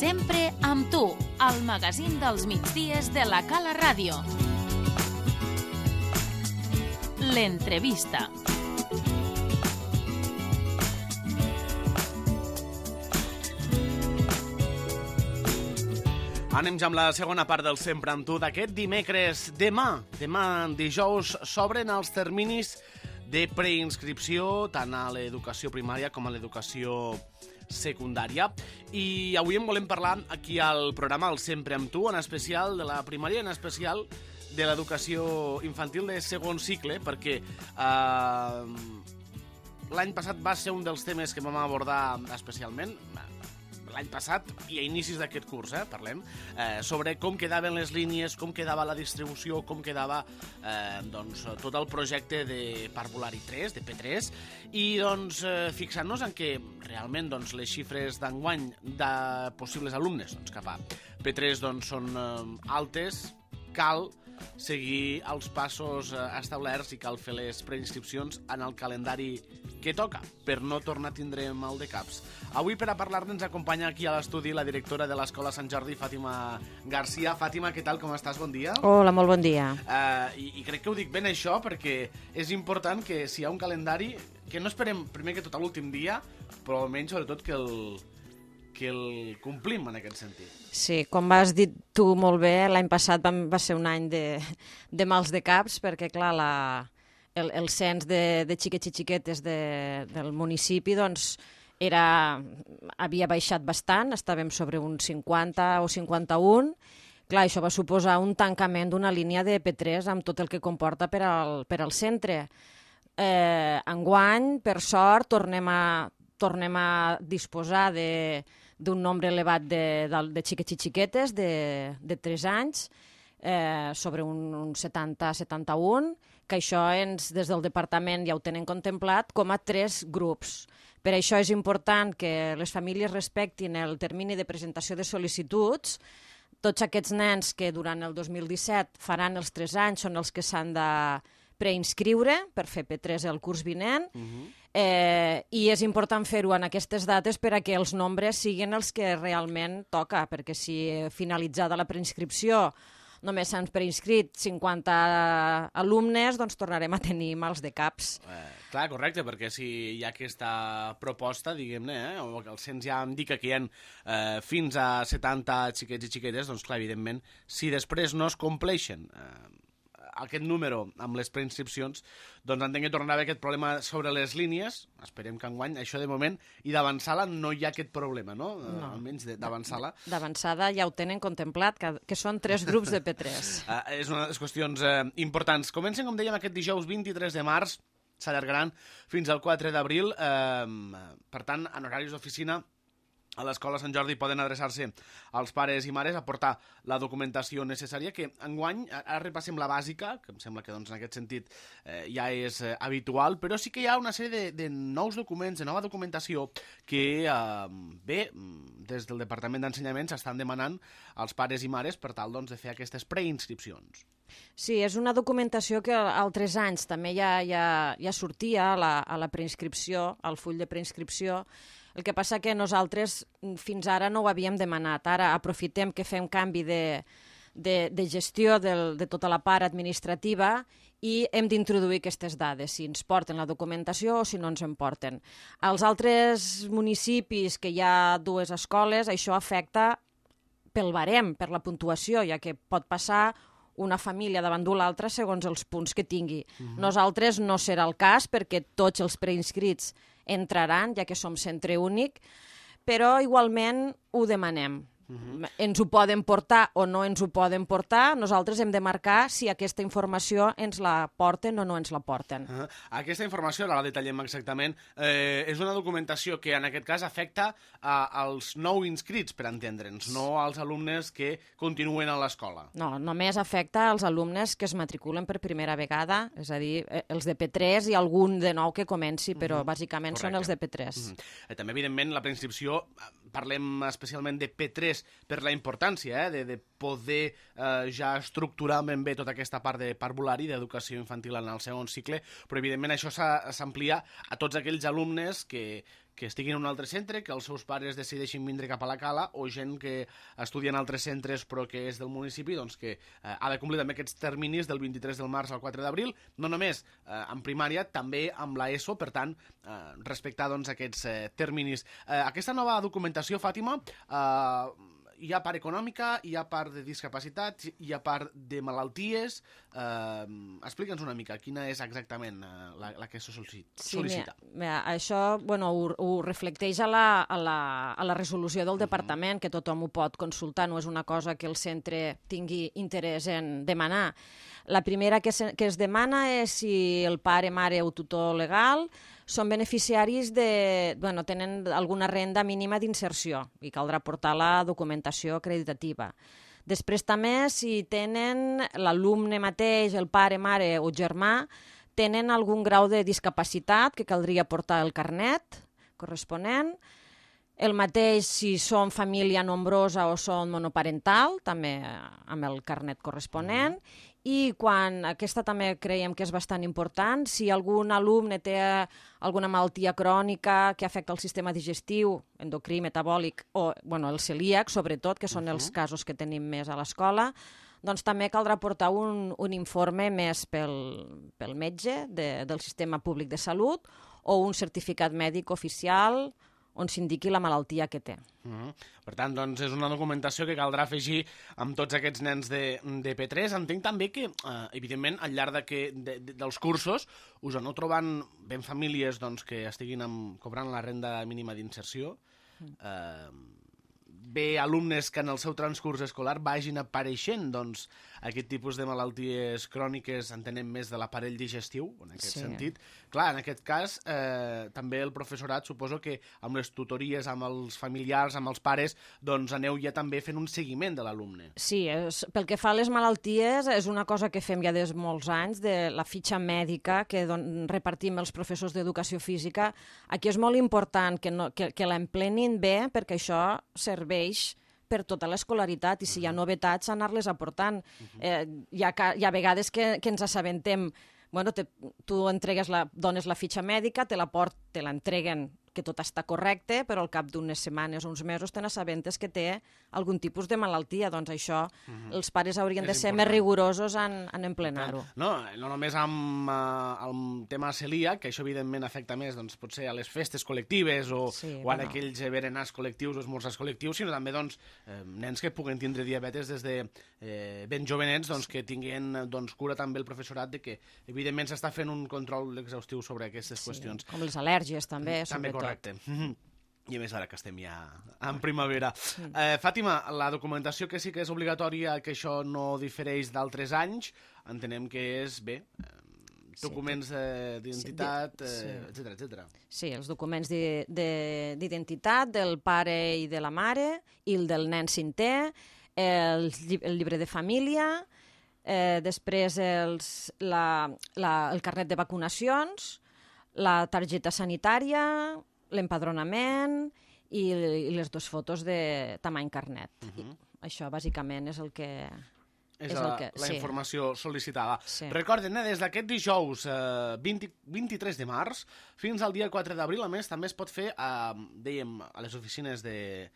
Sempre amb tu, el magazín dels migdies de la Cala Ràdio. L'entrevista. Anem ja amb la segona part del Sempre amb tu d'aquest dimecres. Demà dijous, s'obren els terminis de preinscripció tant a l'educació primària com a l'educació secundària. I avui en volem parlar aquí al programa el Sempre amb tu, en especial de la primària, en especial de l'educació infantil de segon cicle, perquè l'any passat va ser un dels temes que vam abordar especialment, l'any passat i a inicis d'aquest curs, parlem, sobre com quedaven les línies, com quedava la distribució, com quedava tot el projecte de Parvulari 3, de P3, i fixant-nos en que realment les xifres d'enguany de possibles alumnes cap a P3 són altes, cal seguir els passos establerts i cal fer les preinscripcions en el calendari que toca, per no tornar a tindre mal de caps. Avui, per a parlar-ne, ens acompanya aquí a l'estudi la directora de l'Escola Sant Jordi, Fàtima Garcia. Fàtima, què tal, com estàs? Bon dia. Hola, molt bon dia. I crec que ho dic ben això, perquè és important que si hi ha un calendari, que no esperem primer que tot a l'últim dia, però almenys, sobretot, que el complim en aquest sentit. Sí, com has dit tu molt bé, l'any passat va ser un any de mals de caps, perquè, clar, el cens de xiquets i xiquetes del municipi havia baixat bastant, estàvem sobre un 50 o 51. Clar, això va suposar un tancament d'una línia de P3 amb tot el que comporta per al centre. Enguany, per sort, tornem a disposar d'un nombre elevat de xiquets i xiquetes de 3 anys, sobre un 70-71, que això des del departament ja ho tenen contemplat com a 3 grups. Per això és important que les famílies respectin el termini de presentació de sol·licituds. Tots aquests nens que durant el 2017 faran els 3 anys són els que s'han de preinscriure per fer P3 el curs vinent. I és important fer-ho en aquestes dates per a que els nombres siguin els que realment toca, perquè si finalitzada la preinscripció només s'han preinscrit 50 alumnes, doncs tornarem a tenir mals de caps. Clar, correcte, perquè si hi ha aquesta proposta, diguem-ne, o el cens ja indica que hi ha fins a 70 xiquets i xiquetes, doncs clar, evidentment, si després no es compleixen aquest número amb les preinscripcions, doncs entenc que tornarà a haver aquest problema sobre les línies. Esperem que enguany, això de moment, i d'avançada no hi ha aquest problema, no? Almenys d'avançada. D'avançada ja ho tenen contemplat, que són 3 grups de P3. És una de les qüestions importants. Comencen, com dèiem, aquest dijous 23 de març, s'allargaran fins al 4 d'abril. Per tant, en horaris d'oficina, a l'Escola Sant Jordi poden adreçar-se als pares i mares a portar la documentació necessària, que enguany, ara repassem la bàsica, que em sembla que en aquest sentit ja és habitual, però sí que hi ha una sèrie de nous documents, de nova documentació, que des del Departament d'Ensenyament s'estan demanant als pares i mares per tal de fer aquestes preinscripcions. Sí, és una documentació que altres anys també ja sortia a la preinscripció, al full de preinscripció. El que passa que nosaltres fins ara no ho havíem demanat. Ara aprofitem que fem canvi de gestió de tota la part administrativa i hem d'introduir aquestes dades, si ens porten la documentació o si no ens en porten. Als altres municipis que hi ha 2 escoles, això afecta pel barem, per la puntuació, ja que pot passar una família davant de l'altra segons els punts que tingui. Nosaltres no serà el cas perquè tots els preinscrits entraran, ja que som centre únic, però igualment ho demanem. Ens ho poden portar o no ens ho poden portar, nosaltres hem de marcar si aquesta informació ens la porten o no ens la porten. Aquesta informació, ara la detallem exactament, és una documentació que en aquest cas afecta als nou inscrits, per entendre'ns, no als alumnes que continuen a l'escola. No, només afecta als alumnes que es matriculen per primera vegada, és a dir, els de P3 i algun de nou que comenci, però bàsicament són els de P3. També, evidentment, la preinscripció, parlem especialment de P3 per la importància de poder ja estructurar ben bé tota aquesta part de parvulari, d'educació infantil en el segon cicle, però evidentment això s'amplia a tots aquells alumnes que que estiguin en un altre centre, que els seus pares decideixin vindre cap a la Cala, o gent que estudia en altres centres però que és del municipi, doncs que ha de complir també aquests terminis del 23 del març al 4 d'abril, no només en primària, també amb l'ESO, per tant, respectar doncs, aquests terminis. Aquesta nova documentació, Fàtima, hi ha part econòmica, hi ha part de discapacitat, hi ha part de malalties. Explica'ns una mica quina és exactament la que se sol·licita. Mira, això ho reflecteix a la resolució del departament, que tothom ho pot consultar, no és una cosa que el centre tingui interès en demanar. La primera que es demana és si el pare, mare o tutor legal són beneficiaris tenen alguna renda mínima d'inserció i caldrà portar la documentació acreditativa. Després també si tenen l'alumne mateix, el pare, mare o germà, tenen algun grau de discapacitat que caldria portar el carnet corresponent. El mateix si són família nombrosa o són monoparental, també amb el carnet corresponent. I aquesta també creiem que és bastant important, si algun alumne té alguna malaltia crònica que afecta el sistema digestiu, endocrí, metabòlic, o el celíac, sobretot, que són els casos que tenim més a l'escola, doncs també caldrà portar un informe més pel metge del sistema públic de salut o un certificat mèdic oficial on s'indiqui la malaltia que té. Per tant, doncs, és una documentació que caldrà afegir amb tots aquests nens de P3. Entenc també que, evidentment, al llarg dels cursos us aneu trobant ben famílies que estiguin cobrant la renda mínima d'inserció, bé alumnes que en el seu transcurs escolar vagin apareixent aquest tipus de malalties cròniques, entenem més de l'aparell digestiu, en aquest sentit. Clar, en aquest cas, també el professorat, suposo que amb les tutories, amb els familiars, amb els pares, aneu ja també fent un seguiment de l'alumne. Sí, pel que fa a les malalties, és una cosa que fem ja des de molts anys, de la fitxa mèdica que repartim els professors d'educació física. Aquí és molt important que l'emplenin bé, perquè això serveix per tota l'escolaritat, i si hi ha novetats, anar-les aportant. Hi ha vegades que ens assabentem, tu dones la fitxa mèdica, te l'entreguen que tot està correcte, però al cap d'unes setmanes o uns mesos te n'assabentes que té algun tipus de malaltia. Doncs això, els pares haurien de ser més rigorosos en emplenar-ho. No només amb el tema celíac, que això evidentment afecta més potser a les festes col·lectives o en aquells berenars col·lectius o esmorzars col·lectius, sinó també nens que puguen tindre diabetes des de ben jovenets, que tinguin cura també el professorat de que evidentment s'està fent un control exhaustiu sobre aquestes qüestions. Com les al·lèrgies també, sobretot. Correcte. I a més ara que estem ja en primavera. Fàtima, la documentació que sí que és obligatòria, que això no difereix d'altres anys, entenem que és, documents d'identitat, etcètera. Sí, els documents d'identitat del pare i de la mare, i el del nen cinquè, el llibre de família, després el carnet de vacunacions, la targeta sanitària, l'empadronament i les dues fotos de tamany carnet. Això, bàsicament, és el que... És la informació sol·licitada. Sí. Recorden, des d'aquest dijous 23 de març fins al dia 4 d'abril, a més, també es pot fer, dèiem, a les oficines de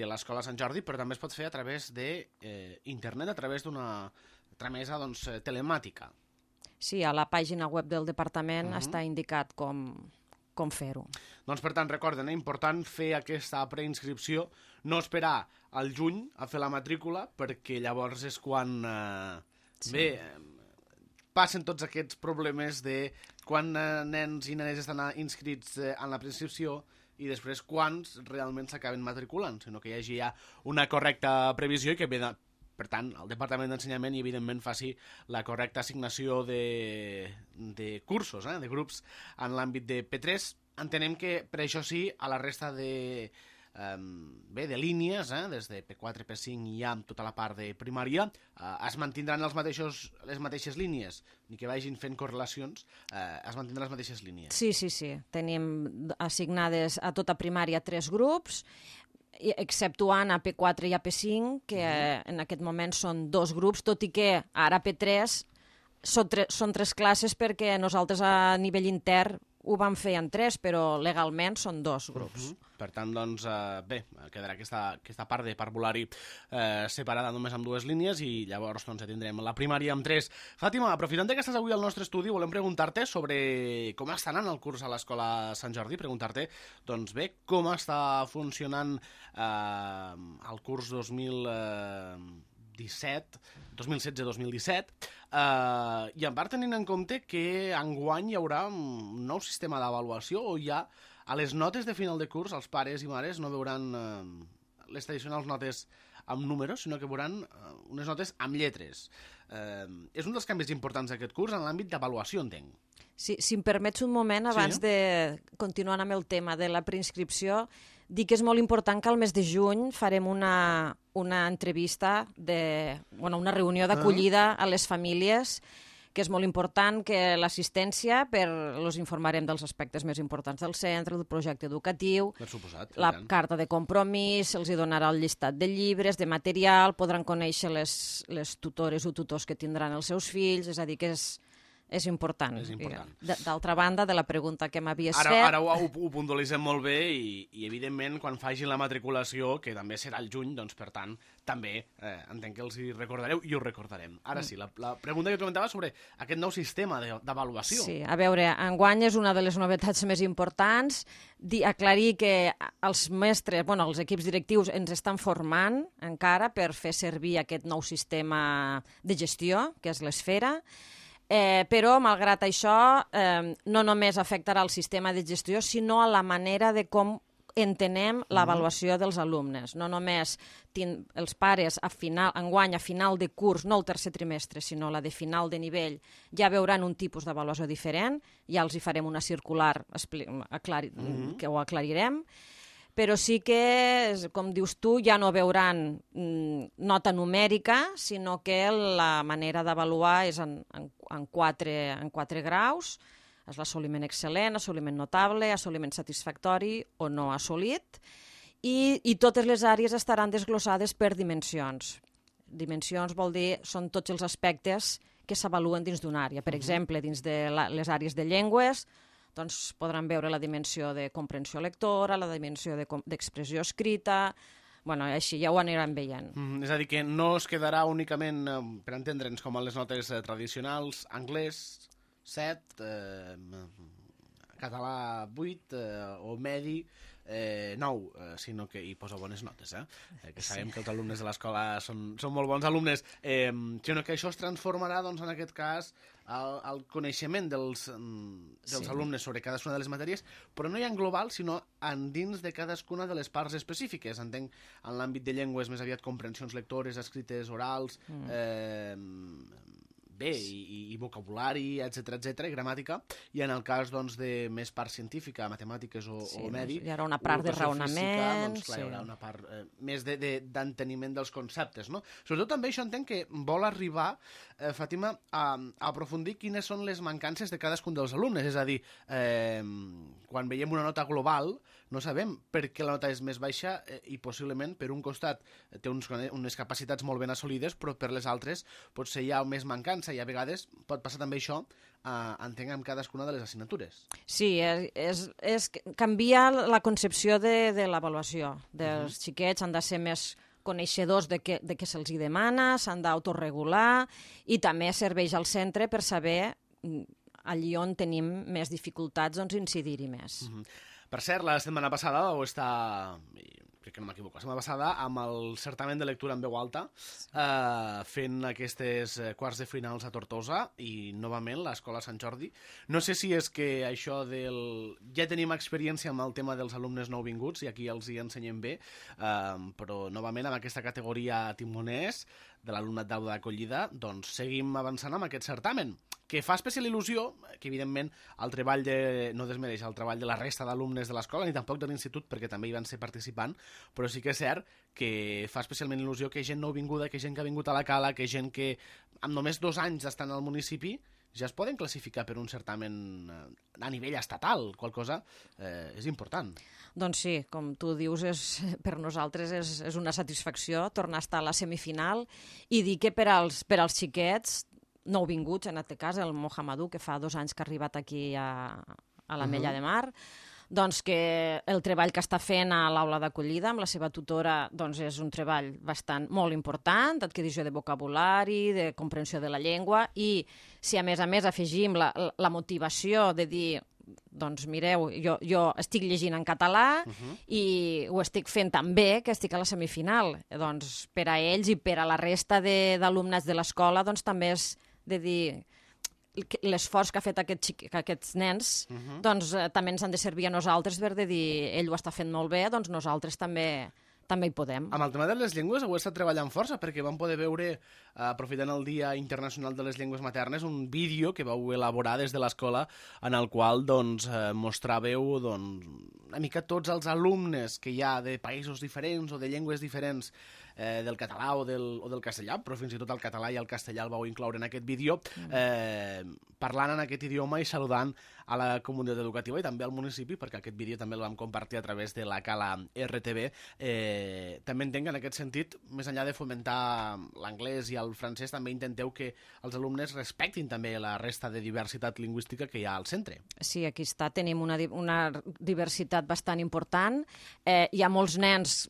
l'Escola Sant Jordi, però també es pot fer a través d'internet, a través d'una tramesa telemàtica. Sí, a la pàgina web del departament està indicat com fer-ho. Doncs, per tant, recorden, important fer aquesta preinscripció, no esperar al juny a fer la matrícula, perquè llavors és quan, passen tots aquests problemes de quan nens i nenes estan inscrits en la preinscripció i després quants realment s'acaben matriculant, sinó que hi hagi ja una correcta previsió i que, per tant, el Departament d'Ensenyament i, evidentment, faci la correcta assignació de cursos, de grups en l'àmbit de P3. Entenem que, per això sí, a la resta de línies, des de P4, P5 i ja amb tota la part de primària, es mantindran les mateixes línies, ni que vagin fent correlacions, es mantindran les mateixes línies. Sí. Tenim assignades a tota primària 3 grups, exceptuant a P4 i a P5, que en aquest moment són 2 grups, tot i que ara a P3 són 3 classes perquè nosaltres a nivell intern ho vam fer en 3, però legalment són 2 grups. Per tant, doncs, bé, quedarà aquesta part de parvulari separada només amb 2 línies i llavors doncs, ja tindrem la primària amb 3. Fàtima, aprofitant que estàs avui al nostre estudi, volem preguntar-te sobre com està anant el curs a l'Escola Sant Jordi, preguntar-te, doncs bé, com està funcionant el curs 2016-2017, i en part tenint en compte que enguany hi haurà un nou sistema d'avaluació o ja a les notes de final de curs els pares i mares no veuran les tradicionals notes amb números, sinó que veuran unes notes amb lletres. És un dels canvis importants d'aquest curs en l'àmbit d'avaluació, entenc. Sí, si em permets un moment, abans de continuar amb el tema de la preinscripció, dic que és molt important que al mes de juny farem una entrevista, una reunió d'acollida a les famílies, que és molt important que l'assistència, els informarem dels aspectes més importants del centre, del projecte educatiu, la carta de compromís, se'ls donarà el llistat de llibres, de material, podran conèixer les tutores o tutors que tindran els seus fills, és a dir, que és important. D'altra banda, de la pregunta que m'havies fet... Ara ho puntualitzem molt bé i evidentment, quan facin la matriculació, que també serà el juny, doncs, per tant, també entenc que els hi recordareu i ho recordarem. Ara sí, la pregunta que comentava sobre aquest nou sistema d'avaluació. Sí, a veure, enguany és una de les novetats més importants, aclarir que els mestres, els equips directius ens estan formant encara per fer servir aquest nou sistema de gestió, que és l'Esfera, però, malgrat això, no només afectarà el sistema de gestió, sinó a la manera de com entenem l'avaluació dels alumnes. No només els pares enguany a final de curs, no el tercer trimestre, sinó la de final de nivell, ja veuran un tipus d'avaluació diferent, ja els hi farem una circular que ho aclarirem, però sí que, com dius tu, ja no veuran nota numèrica, sinó que la manera d'avaluar és en 4 graus, és l'assoliment excel·lent, assoliment notable, assoliment satisfactori o no assolit, i totes les àrees estaran desglossades per dimensions. Dimensions vol dir, són tots els aspectes que s'avaluen dins d'una àrea. Per exemple, dins de les àrees de llengües, doncs podran veure la dimensió de comprensió lectora, la dimensió d'expressió escrita, així ja ho aniran veient. És a dir, que no es quedarà únicament, per entendre'ns, com a les notes tradicionals, anglès 7, català 8 o medi 9, sinó que hi posa bones notes, que sabem que els alumnes de l'escola són molt bons alumnes, sinó que això es transformarà, doncs, en aquest cas, el coneixement dels alumnes sobre cadascuna de les matèries, però no ja en global, sinó dins de cadascuna de les parts específiques. Entenc, en l'àmbit de llengües, més aviat comprensions lectores, escrites, orals, bé, i vocabulari, etc, i gramàtica, i en el cas de més part científica, matemàtiques o medi... Hi haurà una part de raonament... Doncs clar, hi haurà una part més d'enteniment dels conceptes, no? Sobretot també això entenc que vol arribar, Fàtima, a aprofundir quines són les mancances de cadascun dels alumnes, és a dir, quan veiem una nota global, no sabem per què la nota és més baixa i possiblement per un costat té unes capacitats molt ben assolides, però per les altres potser hi ha més mancança i a vegades pot passar també això, entenc, amb cadascuna de les assignatures. Sí, és canviar la concepció de l'avaluació dels xiquets, han de ser més coneixedors de què se'ls demana, s'han d'autoregular i també serveix al centre per saber allí on tenim més dificultats, doncs incidir-hi més. Per cert, la setmana passada vau estar, crec que no m'equivoco, la setmana passada amb el certamen de lectura en veu alta, fent aquestes quarts de finals a Tortosa i novament l'Escola Sant Jordi. No sé si és que això ja tenim experiència amb el tema dels alumnes nouvinguts i aquí els hi ensenyem bé, però novament amb aquesta categoria timoners de l'alumnat d'aula d'acollida, doncs seguim avançant amb aquest certamen, que fa especial il·lusió, que evidentment no desmereix el treball de la resta d'alumnes de l'escola, ni tampoc de l'institut, perquè també hi van ser participant, però sí que és cert que fa especialment il·lusió que gent nouvinguda, que gent que ha vingut a la Cala, que gent que amb només 2 anys estan al municipi, ja es poden classificar per un certamen a nivell estatal, qual cosa és important. Doncs sí, com tu dius, per nosaltres és una satisfacció tornar a estar a la semifinal i dir que per als xiquets nouvinguts, en aquest cas el Mohamedou, que fa 2 anys que ha arribat aquí a a l'Ametlla de Mar, doncs que el treball que està fent a l'aula d'acollida amb la seva tutora doncs és un treball molt important, d'adquisició de vocabulari, de comprensió de la llengua, i si a més afegim la motivació de dir doncs mireu, jo estic llegint en català i ho estic fent tan bé que estic a la semifinal. Doncs per a ells i per a la resta d'alumnes de l'escola doncs també és de dir l'esforç que ha fet aquests nens doncs també ens han de servir a nosaltres per dir ell ho està fent molt bé, doncs nosaltres també hi podem. Amb el tema de les llengües heu estat treballant força, perquè vam poder veure, aprofitant el Dia Internacional de les Llengües Maternes, un vídeo que vau elaborar des de l'escola en el qual mostràveu una mica tots els alumnes que hi ha de països diferents o de llengües diferents del català o del castellà, però fins i tot el català i el castellà el vau incloure en aquest vídeo, parlant en aquest idioma i saludant a la comunitat educativa i també al municipi, perquè aquest vídeo també el vam compartir a través de la Cala RTV. També entenc que en aquest sentit, més enllà de fomentar l'anglès i el francès, també intenteu que els alumnes respectin també la resta de diversitat lingüística que hi ha al centre. Sí, aquí tenim una diversitat bastant important. Hi ha molts nens,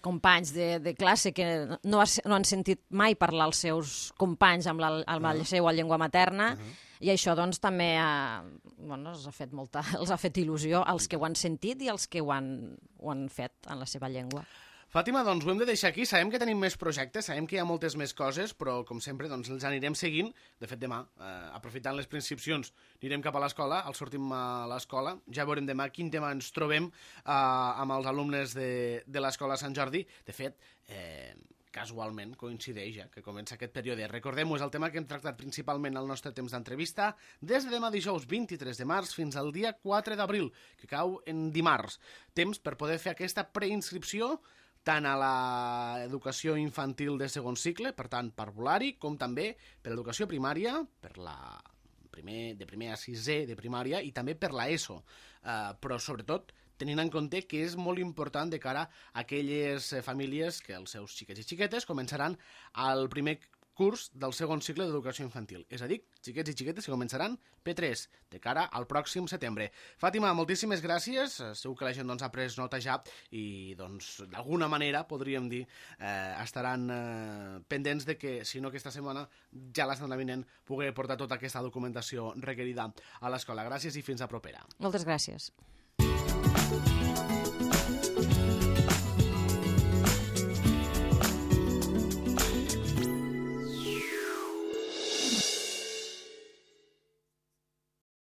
companys de classe que no han sentit mai parlar els seus companys amb la seva llengua materna, i això doncs també els ha fet il·lusió als que ho han sentit i als que ho han fet en la seva llengua. Fàtima, doncs ho hem de deixar aquí. Sabem que tenim més projectes, sabem que hi ha moltes més coses, però com sempre doncs els anirem seguint. De fet, demà, aprofitant les preinscripcions, anirem cap a l'escola, sortim a l'escola, ja veurem demà quin tema ens trobem amb els alumnes de l'escola Sant Jordi. De fet, casualment coincideix que comença aquest període. Recordem-ho, és el tema que hem tractat principalment al nostre temps d'entrevista des de demà dijous 23 de març fins al dia 4 d'abril, que cau en dimarts. Temps per poder fer aquesta preinscripció tant a l'educació infantil de segon cicle, per tant, parvulari, com també per l'educació primària, de primer a sisè de primària, i també per l'ESO. Però, sobretot, tenint en compte que és molt important de cara a aquelles famílies que els seus xiquets i xiquetes començaran al primer curs del segon cicle d'educació infantil. És a dir, xiquets i xiquetes que començaran P3 de cara al pròxim setembre. Fàtima, moltíssimes gràcies. Segur que la gent ha pres nota ja i d'alguna manera, podríem dir, estaran pendents de que, si no aquesta setmana, ja la setmana vinent pugui portar tota aquesta documentació requerida a l'escola. Gràcies i fins a propera. Moltes gràcies.